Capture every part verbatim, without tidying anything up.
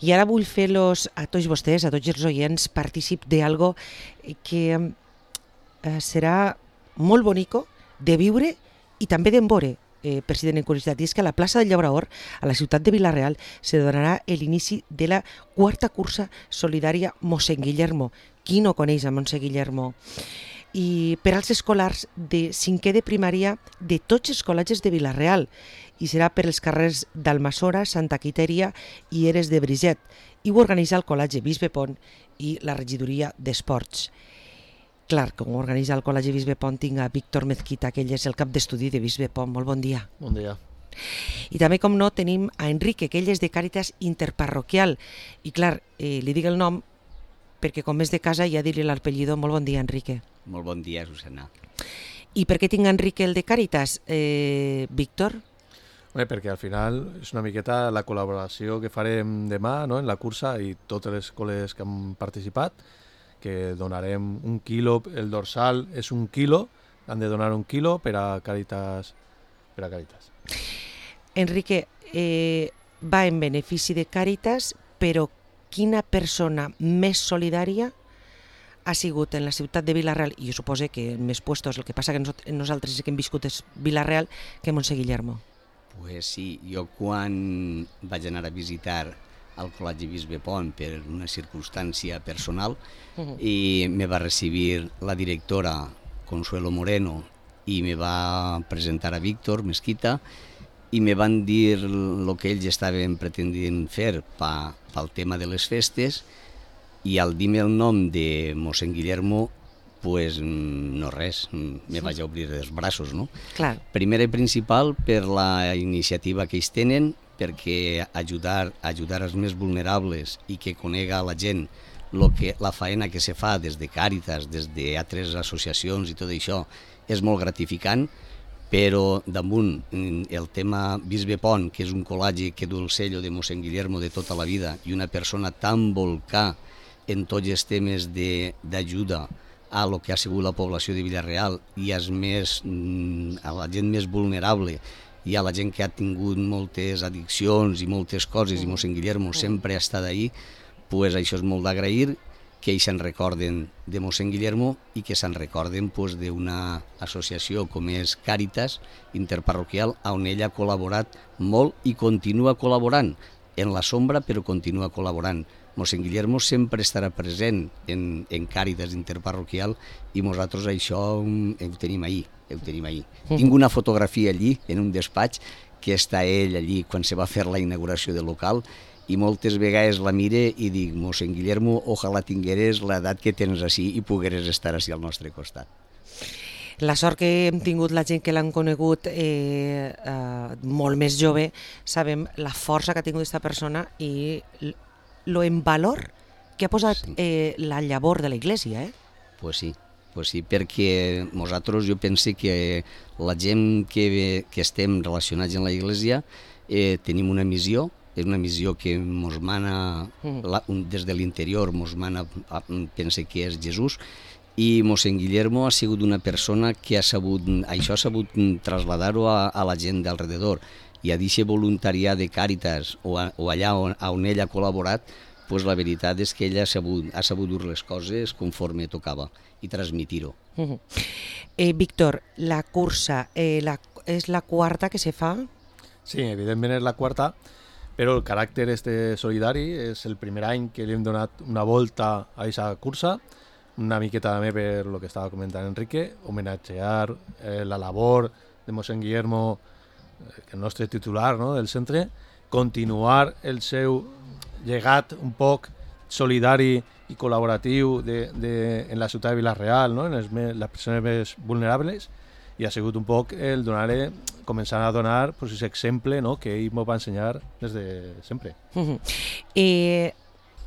I ara vull fer-los a tots vostès, a tots els oients, partícip d'algo que eh, serà molt bonico de viure i també d'embore, eh, president en curiositat. I és que a la plaça del Llabraor, a la ciutat de Vila-real, se donarà l'inici de la quarta cursa solidària Mossèn Guillermo. Qui no coneix a Mossèn Guillermo? I per als escolars de cinquè de primària de tots els col·legis de Vila-real, i serà per els carrers d'Almassora, Santa Quitèria i Eres de Briget, i ho organitza el Col·legi Bisbe Pont i la regidoria d'Esports. Clar, com ho organitza el Col·legi Bisbe Pont, tinc a Víctor Mezquita, que ell és el cap d'estudi de Bisbe Pont. Molt bon dia. Bon dia. I també, com no, tenim a Enrique, que ell és de Càritas Interparroquial. I clar, eh, li dic el nom perquè com és de casa ja dir-li l'apellido. Molt bon dia, Enrique. Molt bon dia, Susana. I per què tinc Enrique el de Càritas, eh, Víctor? Bé, perquè al final és una miqueta la col·laboració que farem demà, no?, en la cursa i totes les escoles que han participat, que donarem un quilo, el dorsal és un quilo, han de donar un quilo per a Càritas. Per a Càritas. Enrique, eh, va en benefici de Càritas, però quina persona més solidària ha sigut en la ciutat de Vila-real, i jo suposo que en més puestos, el que passa que nosaltres que hem viscut és Vila-real, que Mossèn Guillermo. Pues sí, jo quan vaig anar a visitar el Col·legi Bisbe Pont per una circumstància personal, uh-huh. i me va recibir la directora Consuelo Moreno i me va presentar a Víctor Mezquita i me van dir el que ells estaven pretendint fer pa, pel tema de les festes, i al dir-me el nom de Mossèn Guillermo, pues no res, me vaig a obrir els braços, no? Clar. Primer i principal per la iniciativa que ells tenen, perquè ajudar, ajudar els més vulnerables i que conega la gent lo que, la faena que se fa des de Càritas, des d'altres associacions i tot això, és molt gratificant, però damunt el tema Bisbe Pont, que és un col·legi que du el sello de Mossèn Guillermo de tota la vida i una persona tan volcà en tots els temes d'ajuda a lo que ha sigut la població de Vila-real i als més, a la gent més vulnerable i a la gent que ha tingut moltes addiccions i moltes coses, i Mossèn Guillermo sempre ha estat ahí, pues això és molt d'agrair, que ells se'n recorden de Mossèn Guillermo i que se'n recorden pues, d'una associació com és Càritas Interparroquial, on ell ha col·laborat molt i continua col·laborant, en la sombra però continua col·laborant. Mossèn Guillermo sempre estarà present en, en Càritas Interparroquial i nosaltres això ho tenim ahí, ho tenim ahí. Mm. Tinc una fotografia allí, en un despatx, que està ell allí quan se va fer la inauguració del local, i moltes vegades la mire i dic, Mossèn Guillermo, ojalà tingueres l'edat que tens així i pogueres estar així al nostre costat. La sort que hem tingut la gent que l'han conegut eh, eh, molt més jove, sabem la força que ha tingut aquesta persona i lo en valor que ha posat sí. eh, la llavor de la Iglesia, eh? Pues sí, pues sí, perquè nosaltres jo pense que la gent que, que estem relacionats en la Iglesia eh, tenim una missió, és una missió que mos mana mm. la, des de l'interior, mos mana, pense que és Jesús, i Mossèn Guillermo ha sigut una persona que ha sabut, això ha sabut traslladar-ho a, a la gent d'alrededor, i a d'aquest voluntariat de Càritas o, a, o allà on, on ell ha col·laborat, pues la veritat és que ell ha sabut, ha sabut dur les coses conforme tocava i transmitir-ho. Uh-huh. eh, Víctor, la cursa eh, la, és la quarta que se fa? Sí, evidentment és la quarta, però el caràcter este solidari és el primer any que li hem donat una volta a aquesta cursa, una miqueta també per lo que estava comentant Enrique, homenatgear eh, la labor de Mossèn Guillermo, el nostre titular, no?, del centre, continuar el seu llegat un poc solidari i col·laboratiu de, de, en la ciutat de Vila-real, no?, en les, les persones més vulnerables, i ha sigut un poc el donar-li, començar a donar pues, aquest exemple, no?, que ell m'ho va ensenyar des de sempre. Uh-huh. eh,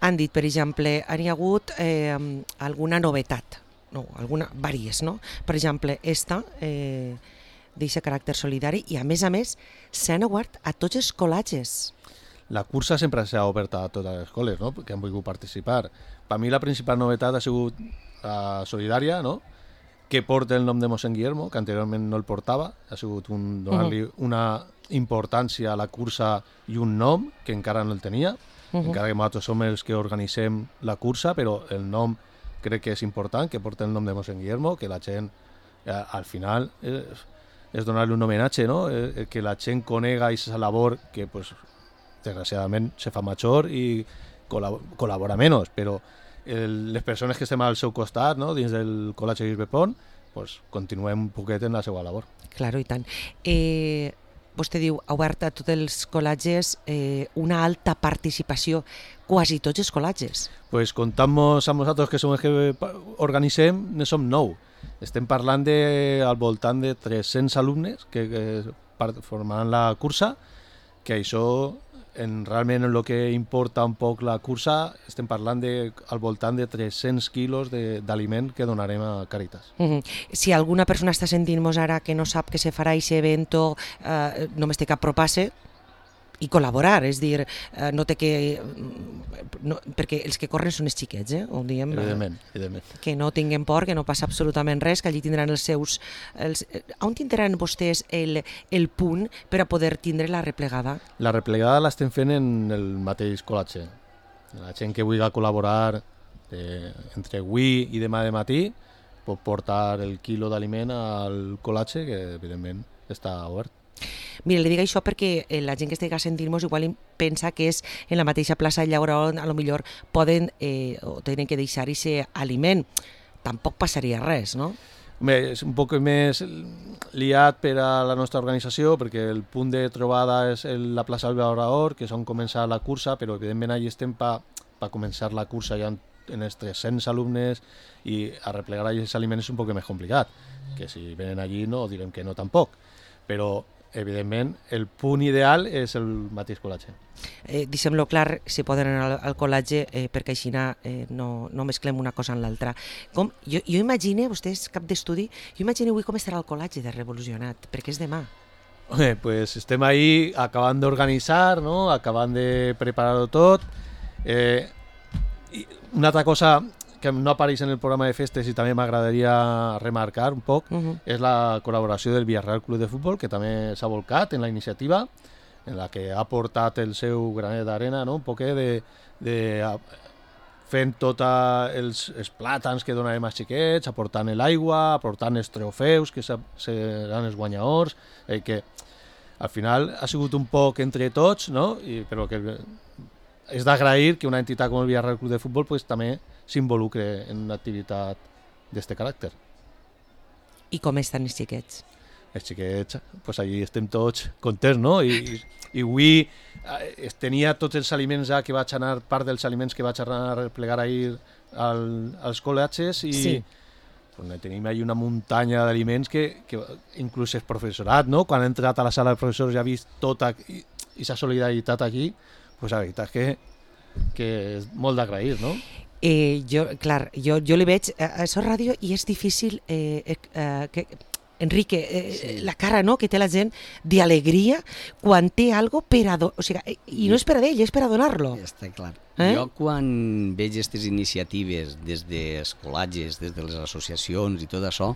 han dit, per exemple, hi ha hagut eh, alguna novetat, no, alguna, vàries, no? Per exemple, esta... Eh, d'aquest caràcter solidari i, a més a més, s'han obert a tots els col·legis. La cursa sempre s'ha obert a totes les escoles, no?, que han volgut participar. Per mi la principal novetat ha sigut la solidària, no?, que porta el nom de Mossèn Guillermo, que anteriorment no el portava. Ha sigut un, donar-li uh-huh. una importància a la cursa i un nom que encara no el tenia. uh-huh. encara que nosaltres som els que organitzem la cursa, però el nom crec que és important, que porta el nom de Mossèn Guillermo, que la gent, eh, al final, eh, és donar-li un homenatge, no? Eh, que la gent conega aquesta labor que, pues, desgraciadament, se fa major i col·lab col·labora menys, però el, les persones que estem al seu costat, no? Dins del Col·legi Bisbe Pont, pues, continuem un poquet en la seva labor. Claro, i tant. Eh, vostè diu, ha obert a tots els col·lages eh, una alta participació, quasi tots els col·lages. Pues comptant-nos amb nosaltres, que som els que organitzem, ne som nou. Estem parlant de, al voltant de tres-cents alumnes que, que formaran la cursa, que això, en, realment en el que importa un poc la cursa, estem parlant de, al voltant de tres-cents quilos d'aliment que donarem a Càritas. Uh-huh. Si alguna persona està sentint-nos ara que no sap que se farà aquest evento, eh, només té que apropar-se i col·laborar, és dir, eh, no té que... No, perquè els que corren són els xiquets, eh? Ho diem, evidentment, evidentment. Que no tinguin por, que no passa absolutament res, que allí tindran els seus... Els, on tindran vostès el, el punt per a poder tindre la replegada? La replegada l'estem fent en el mateix col·latge. La gent que vulgui col·laborar eh, entre avui i demà de matí pot portar el quilo d'aliment al col·latge, que evidentment està obert. Mira, li dic això perquè la gent que estigui sentint-nos igual pensa que és en la mateixa plaça de Llaura on a lo millor poden eh, o tenen que deixar aquest aliment. Tampoc passaria res, no? Bé, és un poc més liat per a la nostra organització, perquè el punt de trobada és la plaça del Llaurador, que és on comença la cursa, però evidentment allà estem per pa començar la cursa ja en els tres-cents alumnes i a replegar aquests aliments és un poc més complicat, que si venen allí no direm que no tampoc, però evidentment, el punt ideal és el mateix col·latge. Eh, Deixem-lo clar, si poden anar al, al col·latge, eh, perquè així eh, no, no mesclem una cosa en l'altra. Jo, jo imagino, vostè és cap d'estudi, jo imagino avui com estarà el col·latge de Revolucionat, perquè és demà. Bé, pues estem ahí acabant d'organitzar, no? Acabant de preparar-ho tot. Eh, i una altra cosa que no apareix en el programa de festes i també m'agradaria remarcar un poc, uh-huh. és la col·laboració del Villarreal Club de Futbol, que també s'ha volcat en la iniciativa, en la que ha portat el seu granet d'arena, no? Un poquet de, de fent tots els, els plàtans que donarem als xiquets, aportant l'aigua, aportant els trofeus, que seran els guanyadors, eh, que al final ha sigut un poc entre tots, no? I, però que és d'agrair que una entitat com el Villarreal Club de Futbol pues, també s'involucre en una activitat d'aquest caràcter. I com estan els xiquets? Els xiquets, pues allí estem tots contents, no? I, i avui eh, tenia tots els aliments ja que vaig anar, part dels aliments que vaig anar a replegar ahir al, als col·latges i sí. Pues, tenim ahí una muntanya d'aliments que, que inclús el professorat, no? Quan ha entrat a la sala de professors i ha vist tota aquesta solidaritat aquí, pues la veritat és que, que és molt d'agrair, no? Eh, jo, clar, jo, jo li veig a, a Sort Ràdio i és difícil eh, eh, que, Enrique, eh, sí. la cara no, que té la gent d'alegria quan té algo per a donar, o sigui, i no és per a ell, és per a donar-lo. Està clar. Eh? Jo quan veig aquestes iniciatives des dels col·latges, des de les associacions i tot això,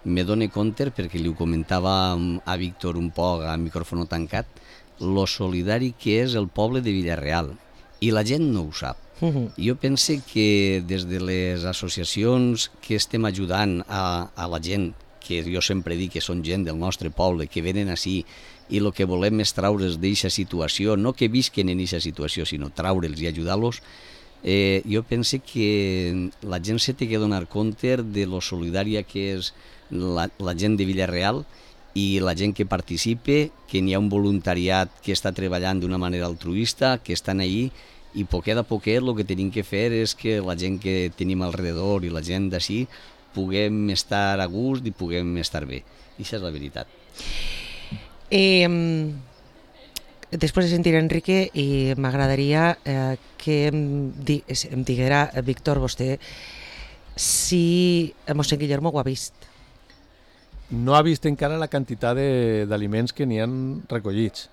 me dono compte, perquè li ho comentava a Víctor un poc a micròfon tancat, lo solidari que és el poble de Villarreal, i la gent no ho sap. Uh-huh. Jo penso que des de les associacions que estem ajudant a, a la gent, que jo sempre dic que són gent del nostre poble, que venen així i el que volem és traure'ls d'aquesta situació, no que visquen en aquesta situació, sinó traure'ls i ajudar-los, eh, jo penso que la gent se té que donar compte de lo solidària que és la, la gent de Villarreal i la gent que participa, que n'hi ha un voluntariat que està treballant d'una manera altruista, que estan ahí, i poquet a poquet el que tenim que fer és que la gent que tenim al redador i la gent d'ací puguem estar a gust i puguem estar bé. I això és la veritat. Eh, després de sentir Enrique, i m'agradaria eh, que em, di, em diguera, Víctor, vostè, si Mossèn Guillermo ho ha vist. No ha vist encara la quantitat d'aliments que n'hi han recollits.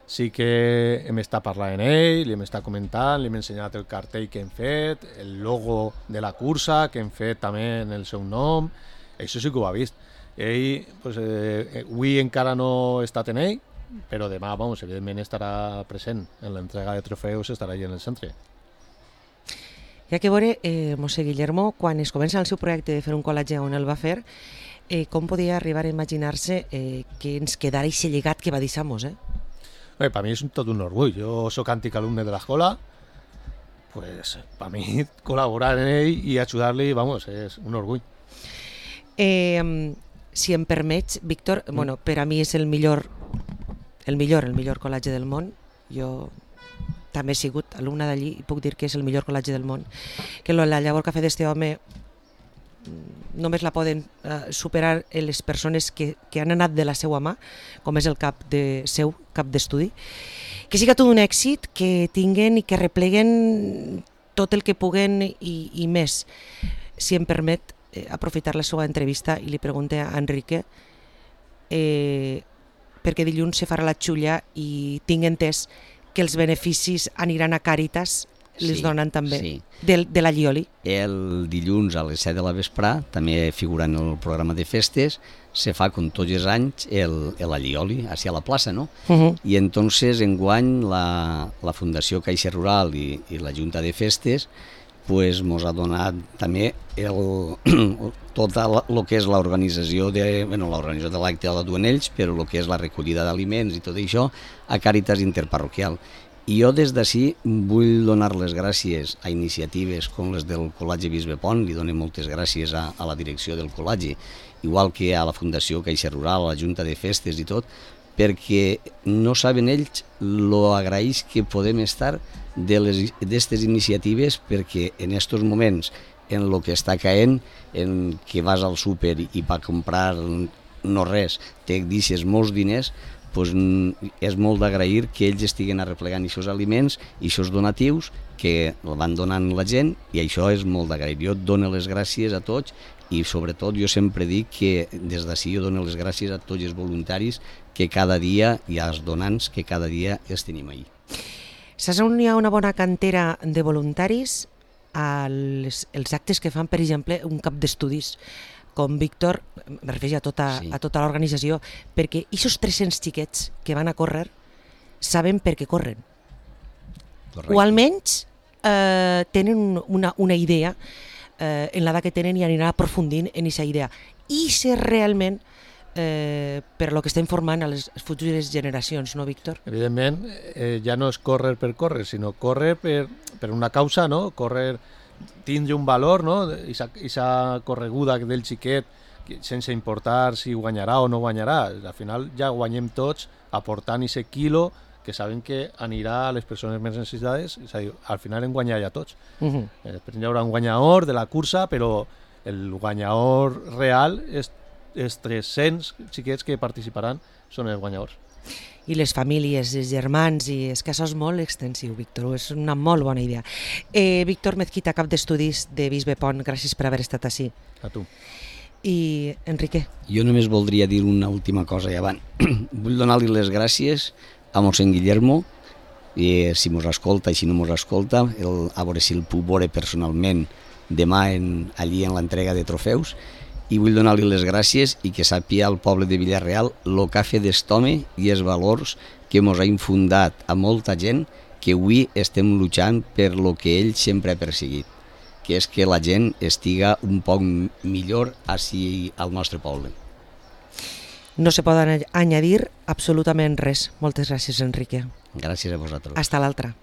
Sí que hem estat parlant amb ell, li hem estat comentant, li hem ensenyat el cartell que hem fet, el logo de la cursa que hem fet també en el seu nom, això sí que ho ha vist. Ell, pues, eh, avui encara no he estat en ell, però demà, vamos, evidentment estarà present en l'entrega de trofeus, estarà allà en el centre. Hi ha que veure, eh, Mossè Guillermo, quan es comença el seu projecte de fer un col·legi on el va fer, eh, com podia arribar a imaginar-se eh, que ens quedara aquest llegat que va deixar Mos, eh? Bé, per mi és tot un orgull. Jo soc antic alumne de l'escola, pues, per mi col·laborar en ell i ajudar-li, vamos, és un orgull. Eh, si em permets, Víctor, mm. bueno, per a mi és el millor, el millor, el millor col·legi del món. Jo també he sigut alumna d'allí i puc dir que és el millor col·legi del món. Que la llavor que ha fet este home només la poden uh, superar les persones que, que han anat de la seva mà, com és el cap de seu, cap d'estudi. Que siga tot un èxit, que tinguen i que repleguen tot el que puguen i, i més. Si em permet eh, aprofitar la seva entrevista i li pregunte a Enrique eh, perquè dilluns se farà la xulla i tinc entès que els beneficis aniran a Càritas, les sí, donen també, sí. de, de la Llioli. El dilluns a les set de la vesprà, també figurant en el programa de festes, se fa, com tots els anys, el, el Allioli, hacia la plaça, no? Uh -huh. I entonces, enguany, la, la Fundació Caixa Rural i, i la Junta de Festes pues mos ha donat també el, tot el que és l'organització de, bueno, l'organització de l'acte de la Duanells, però el que és la recollida d'aliments i tot això a Càritas Interparroquial. I jo des d'ací vull donar les gràcies a iniciatives com les del Col·legi Bisbe Pont, li dono moltes gràcies a, a la direcció del col·legi, igual que a la Fundació Caixa Rural, a la Junta de Festes i tot, perquè no saben ells lo agraïts que podem estar d'aquestes iniciatives, perquè en aquests moments, en el que està caent, en que vas al súper i per comprar no res, te deixes molts diners, pues, és molt d'agrair que ells estiguen arreplegant aquests aliments i aquests donatius que van donant la gent, i això és molt d'agrair. Jo dono les gràcies a tots i sobretot jo sempre dic que des d'ací jo dono les gràcies a tots els voluntaris que cada dia, i als donants que cada dia els tenim ahí. Saps on hi ha una bona cantera de voluntaris? als els actes que fan, per exemple, un cap d'estudis com Víctor, me refereixo a tota, Sí. a tota l'organització, perquè aquests tres-cents xiquets que van a córrer saben per què corren. Correcte. O almenys eh, tenen una, una idea eh, en l'edat que tenen i aniran aprofundint en aquesta idea. I ser realment eh, per lo que estem formant a les futures generacions, no, Víctor? Evidentment, eh, ja no és córrer per córrer, sinó córrer per, per una causa, no? Córrer, tindre un valor, no? Aquesta correguda del xiquet, sense importar si guanyarà o no guanyarà. Al final ja guanyem tots aportant aquest quilo que saben que anirà a les persones més necessitades, és a dir, al final en guanyar ja tots. Uh -huh. Després hi haurà un guanyador de la cursa, però el guanyador real és els tres-cents xiquets que participaran són els guanyadors. I les famílies, els germans, i és que això és molt extensiu, Víctor, és una molt bona idea. Eh, Víctor Mezquita, cap d'estudis de Bisbe Pont, gràcies per haver estat així. A tu. I Enrique? Jo només voldria dir una última cosa i avant. Vull donar-li les gràcies a mossèn Guillermo, i si mos escolta i si no mos escolta, el, a veure si el puc veure personalment demà en, allí en l'entrega de trofeus, i vull donar-li les gràcies i que sàpiga al poble de Villarreal el que ha fet d'estome i els valors que mos ha infundat a molta gent que avui estem lluitant per lo que ell sempre ha perseguit, que és que la gent estiga un poc millor així al nostre poble. No se pot añadir absolutament res. Moltes gràcies, Enrique. Gràcies a vosaltres. Hasta l'altra.